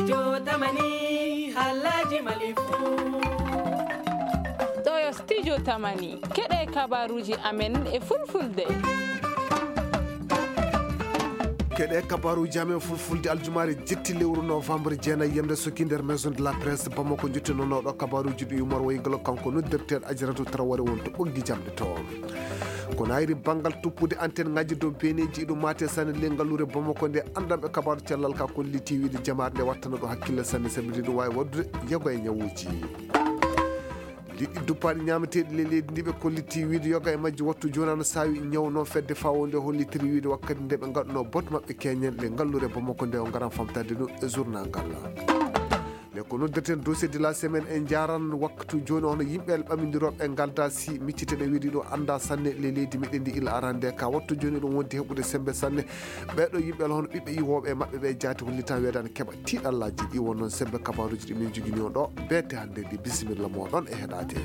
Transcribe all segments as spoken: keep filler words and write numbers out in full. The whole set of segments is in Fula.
Studio Tamani, halaji Mali fu. Ɗo yo Studio Tamani, keɗe kabaruji amen e fulfulde. Keɗe kabaruji amen fulfulde aljumaare jetti lewru novembre jeenayi yamde soki nder Maison de la Presse Bamako, jottinooɗo kabaruji ɗi Umar Waygalo, kanko noddirteeɗo Ajaratu Traoré won to ɓoggi jamɗe to. Ko nayri banngal tuppude antenne ngaji dow beneji iɗum mate sane le ngalluure Bamako nde, anndanɓe kabaru cellal ka kolliti wiide jamaare nde wattana ɗo hakkille sanne, sabi ɗum wawi waddude yoga e ñawuji. Liɗɗi duppaɗi ñameteɗi le leydi ndi ɓe kolliti wiide yoga e majji wattu joni ana sawi ñaw, noon fedde fawo nde hollitiri wiide wakkati nde ɓe ngaɗuno bot maɓɓe keñen le ngalluure Bamako nde, o ngaran famtade ɗum e journal ngal. Nde ko noddirten dossier de la semaine, en jaran waktu joni hono yimɓe el ɓamindiroɓe ngalda si miccite ɗe wiide ɗo anda sanne le leydi meɗen ndi ila arande ka wattu joni ɗum wondi heɓude sembe sanne. Ɓeɗo yimɓe el hono ɓiɓɓe iwoɓe e maɓɓe ɓe jaati hollitan weedani keɓa tiɗallaji ɗi won noon sembe kabaruji ɗi min jogini on ɗo bete hande ndi. Bisimilla moɗon e heɗade.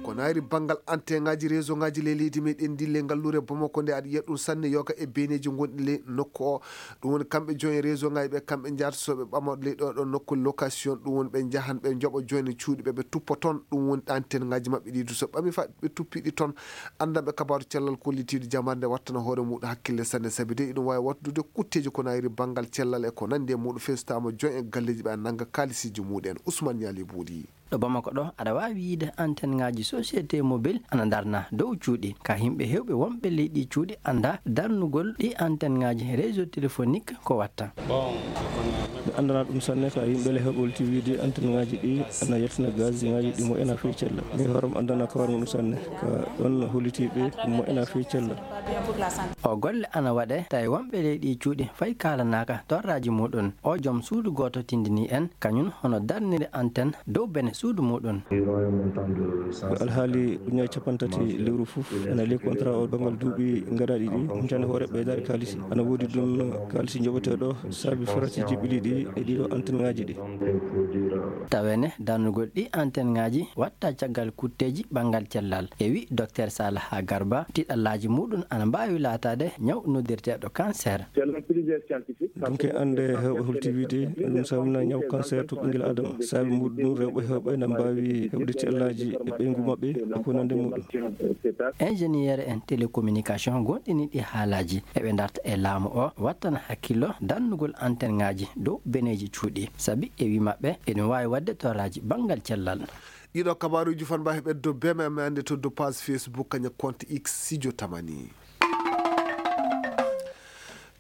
Ko nayri banngal antenne ngaji réseau ngaji le leydi meɗen ndi le ngalluure Bamako nde, aɗa yiya ɗum sanne yoga e beneji gonɗi le nokku o. Ɗum woni kamɓe jooni réseau ngaji ɓe, kamɓe njaata so ɓe ɓama le ɗo ɗo nokku location, ɗum woni ɓe njahan ɓe njoɓa jooni cuuɗi ɓe, ɓe tuppa toon. Ɗum woni antenne ngaji maɓɓe ɗi du so ɓami fa ɓe tuppiɗi toon. Anndanɓe kabaru cellal kollitiiɗo jamaare nde wattana hoore muɗum hakkille sanne, sabi de iɗum wawi wattude kutteji ko nayri banngal cellal e ko nandi e muɗum, festama jooni e galleji ɓe a nanga kalisiji muɗen. Ousmane Niali Buuɗi. Ɗo Bamako ɗo, aɗa waawi yiide antenne ngaji société mobile ana darna dow cuuɗi ka yimɓe hewɓe wonɓe ley ɗi cuuɗi anda darnugol ɗi antenne ngaji réseau téléphonique ko watta. Mi andana ɗum sanne ka yimɓe le heɓolti wiide antenne ngaji ɗi ana yaltina gaz ngaji ɗi moƴƴana fey cella. Mi horam andana kawar muɗum sanne ka ɗon hollitiɓe ɗum moƴƴana fey cella. O golle ana waɗe tawi wonɓe ley ɗi cuuɗi fay kaalanaka torraji muɗum. O joom suudu gooto tindini en kañum hono darniri antenne dow bene suudu muɗum. Ko alhaali ujunnaaji cappanɗe tati lewru fof ena ley contrat o banngal duuɓi garaaɗi ɗi, humpitaani hoore ɓeydaare kaalisi. Ana woodi ɗum kaalisi njoɓeteeɗo saabi faratiiji ɓili ɗi e ɗiɗo antenne ngaji ɗi. Tawene darnugol ɗi antenne ngaji watta caggal kutteeji banngal cellal. E wi Docteur Salaha Garba, tiɗallaaji muɗum ana mbaawi laataade ñaw noddirteeɗo cancer. Dunke annde heewɓe holti wiide ɗum saamna ñaw cancer to ɓinngel adama. Saabi muɗum rewɓe heewɓe na mbaawi heɓde tiɗallaaji e ɓeyngu maɓɓe e ko nande muɗum. Ingénieur en télécommunication gonɗini ɗi haalaaji eɓe darta e laamu o wattana hakkillo darnugol antenne ngaji dow beneji cuuɗi. Sabi e wi maɓɓe eɗum waawi waɗde torraji banngal cellal. Ɗiɗo kabaruji fan mbawi heɓede dow B M M ande to dow page Facebook kaña compte X Sidio Tamani.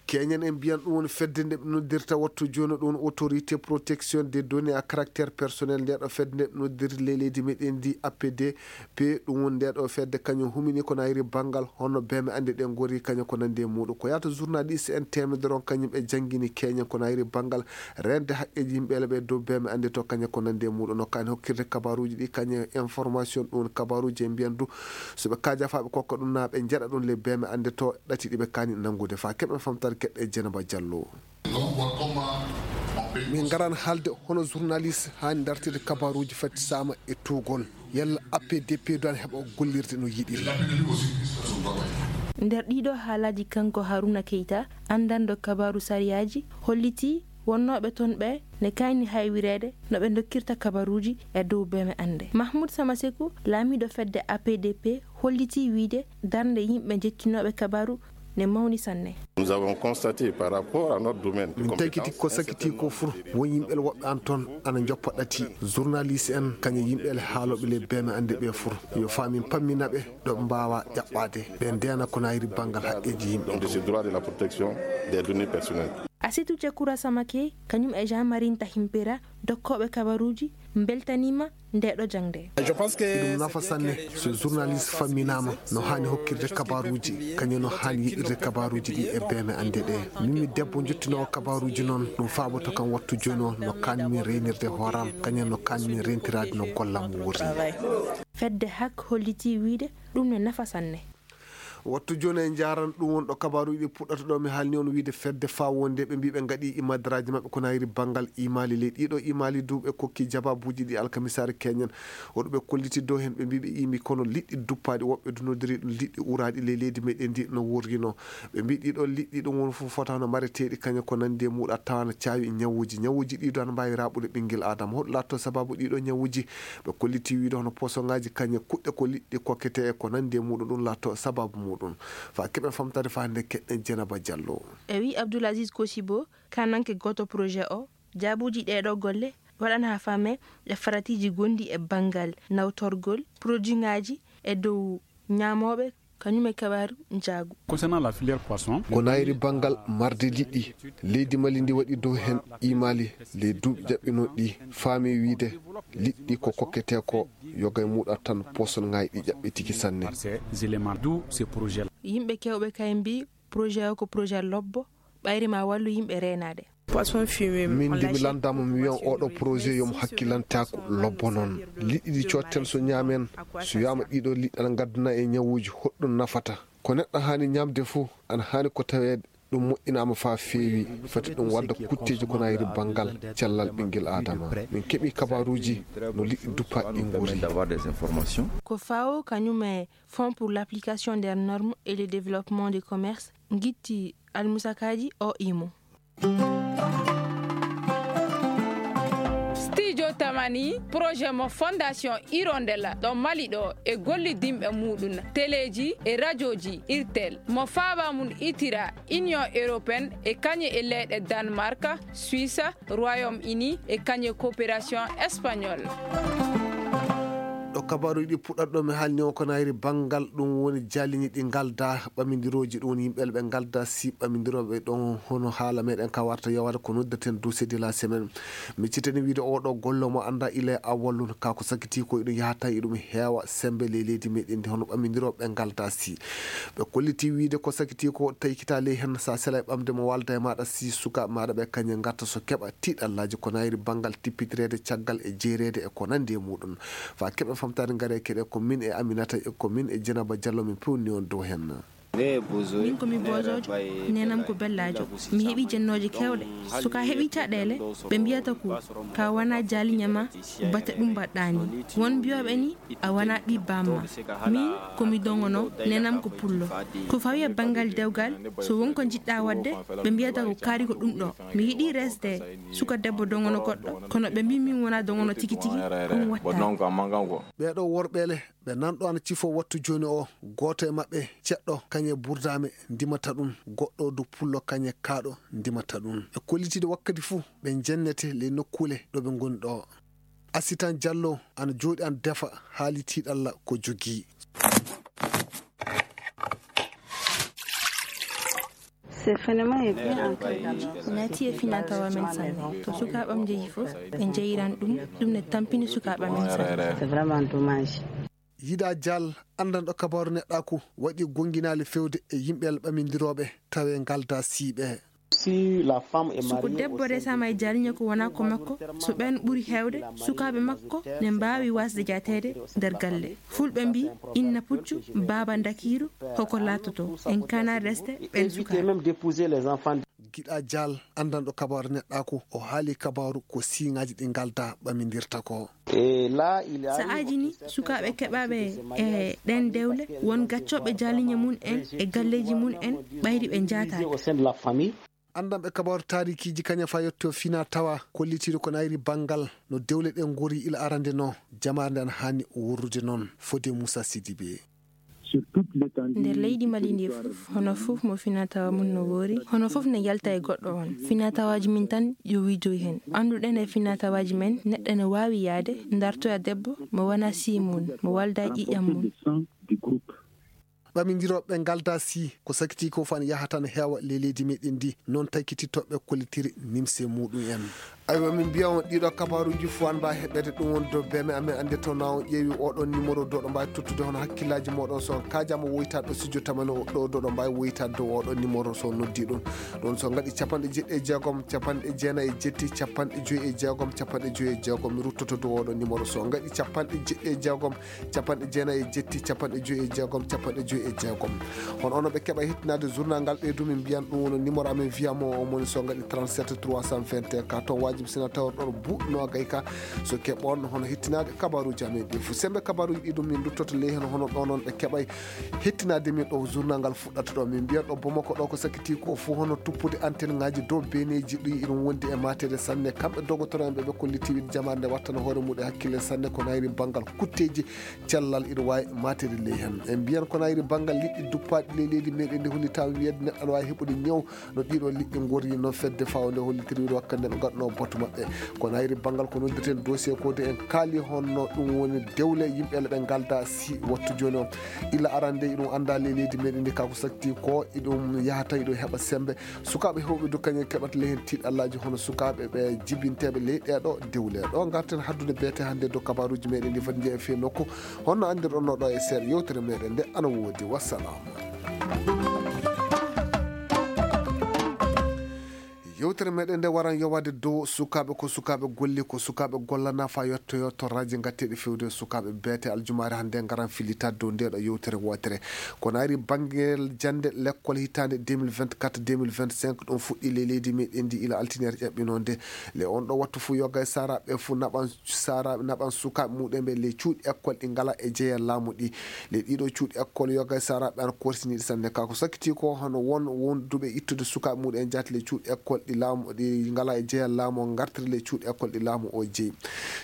Keñen en mbiyan ɗum woni fedde nde ɓe noddirta wattu joni ɗum woni autorité protection des données à caractère personnel. Nde ɗo fedde nde ɓe noddirta ley leydi meɗen ndi A P D P, ɗum woni nde ɗo fedde kañum humini ko nayri banngal hono B M M ande ɗe gori kañum ko nandi e muɗum. Ko yata journaliste en temedere on kañum ɓe jangini keñen ko nayri banngal rende haqqeji yimɓe ele ɓe dow B M M ande to kañum ko nandi e muɗum. No kani hokkirde kabaruji ɗi kañum information ɗum woni kabaruji e mbiyan du so ɓe kaaja fa ɓe kokka ɗum na ɓe jeɗa ɗum le B M M ande to ɗati ɗi ɓe kani nangude fa keɓen famtare keɗɗe Dieynaba Diallo. Min ngaran haalde hono journaliste hani dartide kabaruji fatti sama e tugol. Yalla A P D P du ana heɓa gollirde no yiɗiri. Nder ɗiɗo haalaji kanko Haruna Keita, andanɗo kabaru sariyaji, holliti wonnooɓe toon ɓe ne kayni haywireede no ɓe ndokkirta kabaruuji e dow B M M ande. Mahmoud Samaseku, laamiiɗo fedde A P D P, hollitii wiyde darnde yimɓe njettinooɓe kabaru ne mawni sanne. Nous avons constaté par rapport à notre domaine de compétence, ko sakiti ko fur won yimɓe woɓɓe an toon ana njoppa ɗati journaliste en kañum yimɓe haalooɓe le B M M ande ɓe fur yo faamin pammina ɓe ɗo ɓe mbaawa ƴaɓɓaade ɓe ndeena ko nayri banngal haqqeeji yimɓe. De ce droit de la protection des données personnelles. Asitu Cekura Samake, kañum e Jean Marie Ntahimpera, dokkooɓe kabaruuji, mbeltaniima nde ɗo jaŋde. Ɗum nafa sanne so journaliste famminaama no haani hokkirde kabaruuji, kañum no haani yiɗirde kabaruuji ɗi e B M M ande ɗe. Min mi debbo njottinoowo kabaruuji noon, ɗum faaboto kam wattu jooni o no kaanmi reynirde hooram, kañum no kaanmi rentiraade no gollam wuuri. Fedde hak hollitii wiyde ɗum ne nafa sanne. Wattu jooni e njaaran ɗum won ɗo kabaaruuji ɗi puɗɗata ɗo. Mi haalni on wiide fedde faa wonde ɓe mbii ɓe ngaɗi imadaraaji maɓɓe ko nayri banngal imaali ley ɗiɗo imaali duuɓe kokki jabaabuuji ɗi alkamisaare keñen. Woɗɓe kolliti dow heen ɓe mbii ɓe iimi kono liɗɗi duppaaɗi woɓɓe du nodiri ɗum liɗɗi uraaɗi ley leydi meɗen ndi no worrino. Ɓe mbii ɗiɗo liɗɗi ɗum won fof fotano mareteeɗi kañe ko nandi e muɗa tawana caawi ñawuuji. Ñawuuji ɗiɗo ana mbaawi raɓude ɓinngel Aadama. Hoɗum laatto sababu ɗiɗo ñawuuji? Ɓe kolliti wiide hono posoŋaaji kañe kuɗɗe ko liɗɗi kokkete e ko nandi e muɗum ɗum laatto sababu muɗum. Faa keɓen famtare faa hannde keɗɗen Jenaba Jallo. E wi Abdoul Aziz Kosibo, kananke gooto projet o, jaabuuji ɗeeɗo golle waɗan haa faame e faratiiji gonɗi e banngal nawtorgol produitŋaaji e dow ñaamooɓe, kañum e kabaaru njaagu. Concernant la filière poisson, ko nayri banngal marde liɗɗi, leydi Mali ndi waɗi dow heen imaali ley duuɓi jaɓɓinooɗi ɗi, faami wiide liɗɗi ko kokketee ko yoga e muɗa tan poson ŋaay ɗi ƴaɓɓi tigi sanne. Par ces éléments, d'où ces projets-là. Yimɓe kewɓe kay mbii projet o ko projet lobbo, ɓayri ma wallu yimɓe reenaade. Min de mi lanndaama mi wiyan oɗo projet yo mo hakkilantaaku lobbo noon. Liɗɗi ɗi cotten so ñaamen, so wiyaama ɗiɗo liɗɗi ana ngaddana e ñawuuji, hoɗɗum nafata? Ko neɗɗo haani ñaamde fof ana haani ko taweede ɗum moƴƴinaama faa feewi, fati ɗum wadda kutteeji ko nayri banngal cellal ɓinngel Aadama. Min keɓi kabaaruuji no liɗɗi duppaaɗi ɗi ngori. Ko fawo kañum e Fonds pour l'application des normes et le développement du commerce ngitti almusakaaji o imo. Studio Tamani, projet mo Fondation Hirondella ɗo Mali ɗo e gollidinɓe muɗum teleeji e rajooji Irtel mo faaba mum itira Union Européenne e kañe e leyɗe Danemark, Suisse, Royaume-Uni e kañe coopération espagnole. Ɗo kabaaruuji ɗi puɗɗata ɗo mi haalni on ko nayri banngal ɗum woni jaaliñi ɗi ngalda ɓamindirooji ɗum woni yimɓe ɓe ngalda si ɓamindirooɓe ɗon hono haala meɗen ka warta yawata ko noddaten dossier de la semaine. Mi citani wiide oɗo golle mo annda ila e awwalun ka ko sakiti ko iɗum yahata iɗum heewa sembe ley leydi meɗen ndi hono ɓamindirooɓe ɓe ngalda si ɓe kolliti wiide ko sakiti ko taykita ley heen sa sela e ɓamde mo walda e maɗa si sukaaɓe maɗa ɓe kañe ngatta so keɓa tiiɗallaaji ko nayri banngal tippitireede caggal e jeereede e ko nanndi e muɗum. Faa keɓen famtaade ngare keɗe ko min e Aminata e ko min e Jenaba Jallo min pewni on dow heen. Min ko mi bojoojo, nenam ko bellaajo. Mi heɓi jennooje keewɗe. So ka heɓi caɗeele, ɓe mbiyata ko ka wona jaaliña ma, bate ɗum mbaɗɗaa ni. Won mbiyooɓe ni, a wona ɓii baamma. Min ko mi dogono, nenam ko pullo. Ko fawi e banngal dewgal, so won ko njiɗɗa waɗde, ɓe mbiyata ko kaari ko ɗum ɗo. Mi yiɗi resde suka debbo dogono goɗɗo, kono ɓe mbii min wona dogono tigi tigi, ɗum wattaani. Ɓeeɗo worɓeele ɓe nanɗo ana cifo wattu jooni o, gooto e maɓɓe ceɗɗo kañe burdaame ndimata ɗum, goɗɗo du pullo kañe kaaɗo ndimata ɗum. Ɓe kollitiiɗo wakkati fuu ɓe njennete ley nokkuule ɗo ɓe ngoni ɗo. Asitan Jallo ana jooɗi ana defa haali tiiɗalla ko jogii. Naati e finaa tawa men sanne. To sukaaɓam njehi fof, ɓe njeyiran ɗum, ɗum ne tampini sukaaɓe men sanne. Yiɗa Jal, anndanɗo kabaaru neɗɗaaku, waɗi gonginaali fewde e yimɓe ɓamindirooɓe tawe ngalda siiɓe. Si ko debbo resaama e jaaliñe ko wona ko makko, so ɓeen ɓuri heewde, sukaaɓe makko ne mbaawi waasde jaateede nder galle. Fulɓe mbii, inna puccu, baaba ndakiiru, hoko laatoto. En kana resde ɓeen sukaaɓe. Giɗa Jal, anndanɗo kabaaru neɗɗaaku, o haali kabaaru ko siiŋaaji ɗi ngalda ɓamindirta ko. Sa'aaji ni, sukaaɓe keɓaaɓe e ɗeen dewle, won gaccooɓe jaaliñe mum en e galleeji mum en, ɓayri ɓe njaataade. Anndanɓe kabaaru taarikiiji kaña faa yetto fina tawa kollitiiɗo ko nayri banngal no dewle ɗen ngori ila arande no, jamaare nde ana haani worrude noon, fode Moussa Sidibé. Nder leydi Mali ndi fof, hono fof mo finaa tawa mum no woori, hono fof ne yalta e goɗɗo on. Finaa tawaaji min tan yo wiidoy heen. Annduɗen e finaa tawaaji men, neɗɗo ne waawi yahde, dartoya debbo mo wona sii mum, mo walda e ƴiiƴam mum. Ɓamindirooɓe ngalda sii, ko sakiti ko faan yahata ne heewa ley leydi meɗen ndi, noon taykitittoɓe kollitiri nimse muɗum en. Aywa, min mbiya on ɗiɗo kabaruuji fof an mbawi heɓede ɗum woni dow beme amen, annde taw na on ƴeewi oɗon numéro dow ɗo mbawi tottude hono hakkillaaji moɗon so on kaajaama woytaade ɗo studio tamani o ɗo dow ɗo mbawi woytaade dow oɗon numéro so on noddi ɗum. Ɗon so ngaɗi capanɗe jeɗɗi e jeegom, capanɗe jeenayi e jetti, capanɗe joyi e jeegom, capanɗe joyi e jeegom, mi ruttoto dow oɗon numéro so ngaɗi capanɗe jeɗɗi e jeegom, capanɗe jeenayi e jetti, capanɗe joyi e jeegom, capanɗe joyi e jeegom. Hono ono ɓe keɓa hettinaade journal ngal ɓeydu min mbiyan ɗum woni numéro amen via mo o moni so ngaɗi trente-sept trois cent vingt et un ka toon wajibi sina tawor ɗon buuɗ noogay ka so keɓon hono hettinaade kabaruuji amen ɗi fof. Sembe kabaruuji ɗi ɗum min duttoto ley heno hono ɗo noon ɓe keɓay hettinaade min ɗo journal ngal fuɗɗata ɗo. Min mbiyan ɗo Bamako ɗo ko sakiti ko fof hono tuppude antenne ngaji dow beneji ɗi iɗum wondi e mateede sanne. Kamɓe dogotoro en ɓe ɓe kolliti wiide jamaare nde wattana hoore muɗum e hakkille sanne ko nayri banngal kutteji cellal ina waawi mateede ley heen. En mbiyan ko nayri banngal liɗɗi duppaaɗi ley leydi meɗen ndi holli taw wiyede neɗɗo aɗa waawi heɓude ñaw no ɗiɗo liɗɗi ngorri noon fedde fawde hollitiri wakkati nde ɓe ngaɗno batu maɓɓe. Ko nayri banngal ko noddirten dossier ko de en kaali honno ɗum woni dewle yimɓe le ɓe ngalda si wattu jooni o illa arande iɗum annda ley leydi meɗen ndi kako sakti ko iɗum yahata iɗum heɓa sembe. Sukaaɓe heewɓe du kañum keɓata ley heen tiiɗallaaji hono sukaaɓe ɓe jibinteeɓe ley ɗeeɗo dewle. Ɗo ngarten haddude beete hannde dow kabaaruuji meɗen ɗi foti njeya fii nokku. Honno anndirɗon no ɗo e seeɗa yewtere meɗen nde ana woodi. Wassalam. Yewtere meɗen nde waran yowade dow sukaaɓe ko sukaaɓe golli ko sukaaɓe gollana fa yettoyo torraji gatteɗi fewde sukaaɓe beete aljumaare hannde ngaran fillitaade dow ndeɗo yewtere wootere. Ko nayri banngel jannde lekkol hitaande deux mille vingt-quatre deux mille vingt-cinq ɗum fuɗɗi ley leydi meɗen ndi ila altiniere ƴaɓɓinoo nde. Le on ɗo wattu fof yoga e saraɓe fof naɓan saraɓe naɓan sukaaɓe muɗen ɓe ley cuuɗi école ɗi ngala e jeeya laamu ɗi. Le ɗiɗo cuuɗi école yoga e saraɓe ana korsiniɗi sanne ka ko sakkiti ko hono won wonduɓe ittude sukaaɓe muɗen jaati le cuuɗi école ɗi laamu ɗi ngala e jeeya laamu ngartiri le cuuɗi école ɗi laamu o jeeyi.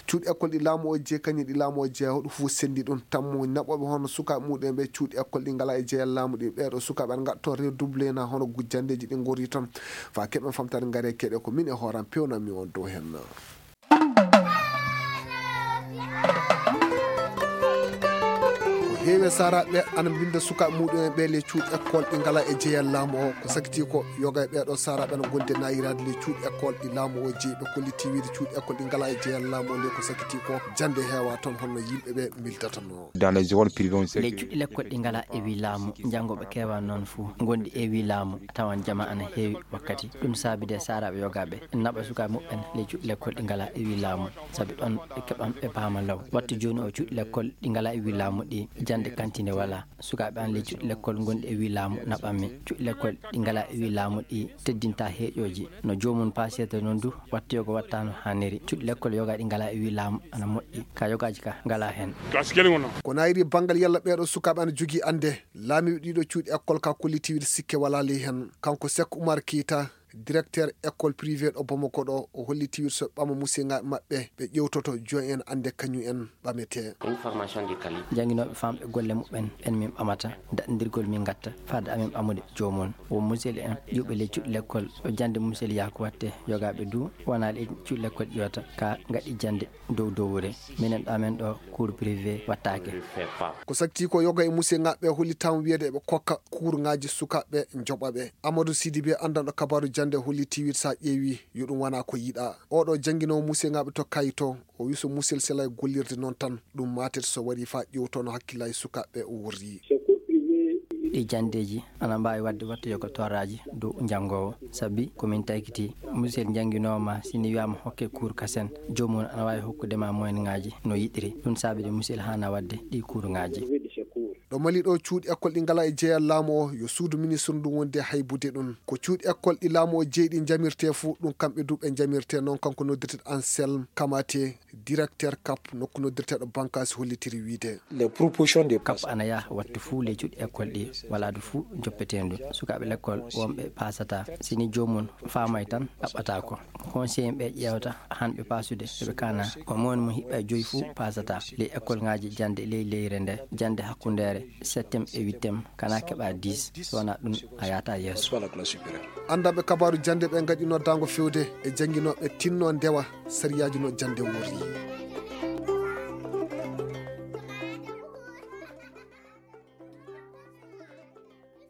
Cuuɗi école ɗi laamu o jeeyi kañum ɗi laamu o jeeyi hoɗo fof senndi ɗum tammo naɓoɓe hono sukaaɓe muɗen ɓe cuuɗi école ɗi ngala e jeeya laamu ɗi ɓeɗo sukaaɓe ana ngatto redouble na hono gu- janndeji ɗi ngori toon. Fa keɓen famtare ngare keɗe ko min e hooram pewnanmi on dow hen. Ko heewi e saraɓe ana mbinda sukaaɓe muɗum en ɓe le cuuɗi école ɗi ngala e jeeyal laamu o ko sakiti ko yoga e ɓeɗo saraɓe ana gonde nayirade le cuuɗi école ɗi laamu o jeeyi ɓe kolliti wiide cuuɗi école ɗi ngala e jeeyal laamu o nde ko sakiti ko jande heewa toon holno yimɓe ɓe mildatano. Dans les écoles privées on sait ley que cuɗɗi lekkol ɗi ngala e wi laamu janngoɓe kewa noon fof gonɗi e wi laamu a tawan jama ana heewi wakkati ɗum saabi de saraɓe yogaɓe naɓa sukaɓe muɓɓen ley cuɗɗi lekkol ɗi ngala e wi laamu saabi ɗon ɓe keɓan ɓe paama law wattu joni o cuɗɗi lekkol ɗi ngala e wi laamu ɗi jande kantine wala sukaɓe an ley cuɗɗi lekkol gonɗi e wi laamu naɓanmi cuɗɗi lekkol ɗi ngala e wi laamu ɗi teddinta heeƴoji no jomum pasiyata noon du watta yoga watta no hanniri cuɗɗi lekkol yoga ɗi ngala e wi laamu ana moƴƴi ka yogaji ka ngala hen. Ko nayri banngal yalla ɓeɗo sukaaɓe ana jogii annde laamiiɓe ɗiɗo cuuɗi école ka kollitiiwde sikke walaa ley heen. Kanko Seck Oumar Keita, directeur école privée ɗo Bamako ɗo, o hollitiiwde so ɓama musiyeŋaaɓe maɓɓe ɓe ƴeewtoto jooni en annde kañum en ɓametee. Jannginooɓe famɓe golle muɓɓen ɓen min ɓamata daɗndirgol min ngatta faade amin ɓamude joomum. Won musel en iwɓe ley cuuɗi lekkol ɗo jannde musel yaha ko watte yogaaɓe du wonaa ley cuuɗi lekkol iwata ka ngaɗi jannde dow dowre minen ɗo amen ɗo cour privé wattaake. Ko sakti ko yoga e musiyeŋaaɓe hollitaama wiyede eɓe kokka kuurŋaaji sukaaɓe joɓaɓe. Amadou Sidibé anndanɗo kabaaru jannde holliti wiide so a ƴeewi yo ɗum wona ko yiɗa. Oɗo jannginoowo musiyeŋaaɓe to kayito o wi so musel selay gollirde noon tan ɗum matet so wari fa ƴewtono hakkillaaji sukaaɓe o worri. Ɗi janndeeji ana mbaawi waɗde wattoyogol torraaji dow njanngoowo sabi ko min taykiti musel njannginooma si ni wiyaama hokke kuur kasen joomum ana waawi hokkude ma moyenŋaaji no yiɗiri ɗum saabi de musel haana waɗde ɗi kuurŋaaji. Ɗo Mali ɗo cuuɗi école ɗi ngala e jeeyal laamu o yo suudu ministre ndu wondi e haybude ɗum ko cuuɗi école ɗi laamu o jeeyi ɗi njamirte fuu ɗum kamɓe du ɓe njamirte noon kanko noddirteɗo Anselme Kamate directeur cap nokku noddirteɗo bankasi hollitiri wiide. Cap ana yaha wattu fuu ley cuuɗi école ɗi walaadu fuu joppeteendu sukaaɓe lekkol wonɓe paasata sini joomum faamay tan ɗaɓɓata ko conseil ɓe ƴeewta hanɓe paasude eɓe kana ko moni mo hiɓɓa e joyi fuu paasata ley école ŋaaji jannde ley leyre nde jannde hakkundeere septem e huitem kana keɓa dix so wona ɗum a yahata yeeso. Anndanɓe kabaaru jannde ɓe ngaɗi noddaango fewde e jannginooɓe tinno ndewa sariyaaji no jannde worri.